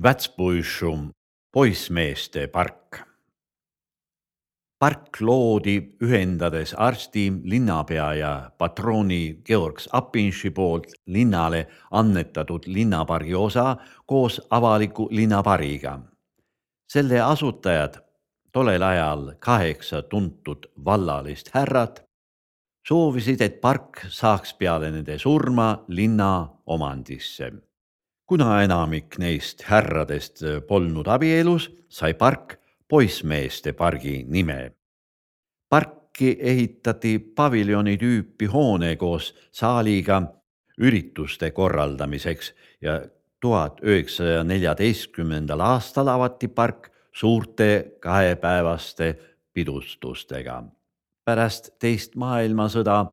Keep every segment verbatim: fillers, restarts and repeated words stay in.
Vätspuišu poissmeeste park. Park loodi ühendades arsti, linnapea ja patrooni Georg Apinši poolt linnale annetatud linnapargi osa koos avaliku linnapariga. Selle asutajad, tollel ajal kaheksa tuntud vallalist härrat, soovisid, et park saaks peale nende surma linna omandisse. Kuna enamik neist härradest polnud abielus, sai park poissmeeste pargi nime. Parki ehitati paviljoni tüüpi hoone koos saaliga ürituste korraldamiseks ja tuhat üheksasaja neljateistkümnendal aastal avati park suurte kahepäevaste pidustustega. Pärast teist maailmasõda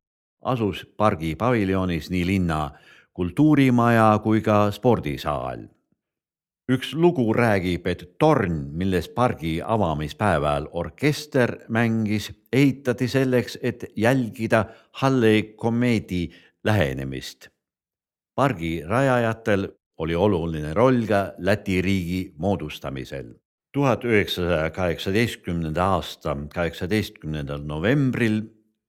asus pargi paviljonis nii linna kultuurimaja kui ka spordisaal. Üks lugu räägib, et torn, milles pargi avamispäeval orkester mängis, ehitati selleks, et jälgida Hallei komeedi lähenemist. Pargi rajajatel oli oluline roll ka Läti riigi moodustamisel. tuhat üheksasaja kaheksateistkümnenda aasta kaheksateistkümnendal novembril,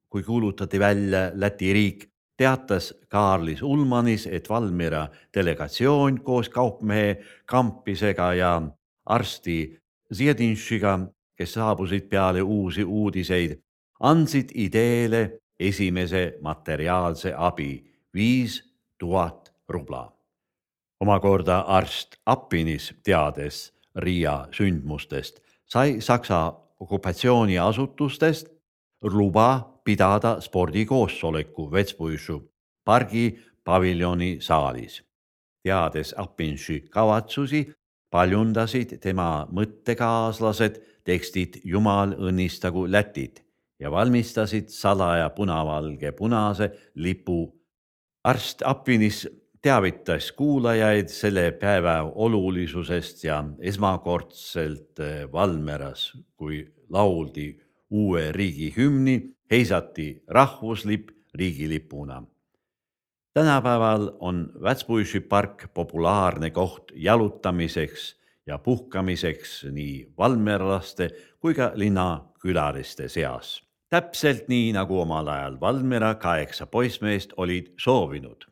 kui kuulutati välja Läti riik, teatas Kaarlis Ulmanis, et Valmiera delegatsioon koos kaupmehe Kampisega ja arsti Ziedinšiga, kes saabusid peale uusi uudiseid, andsid ideele esimese materiaalse abi viis tuhat rubla. Omakorda arst Appinis, teades Riia sündmustest, sai Saksa okupatsiooniasutustest luba pidada spordikoosoleku Vätspuišu pargi paviljoni saalis. Teades Appinši kavatsusi, paljundasid tema mõttekaaslased tekstid Jumal õnnistagu Lätit ja valmistasid salaja punavalge punase lipu. Arst Appinis teavitas kuulajaid selle päeva olulisusest ja esmakordselt Valmieras, kui lauldi uue riigi hümni, heisati rahvuslipp riigilipuna. Tänapäeval on Vätspuišu park populaarne koht jalutamiseks ja puhkamiseks nii valmierlaste kui ka linnakülaliste seas. Täpselt nii, nagu omal ajal Valmiera kaheksa poissmeest olid soovinud.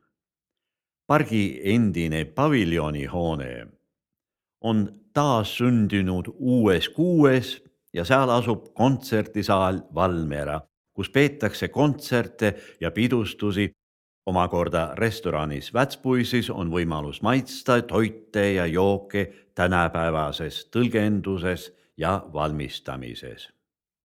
Pargi endine paviljonihoone on taas sündinud uues kuues ja seal asub kontserdisaal Valmiera, kus peetakse kontserte ja pidustusi. Omakorda restoranis Vätspuisis on võimalus maitsta toite ja jooke tänapäevases tõlgenduses ja valmistamises.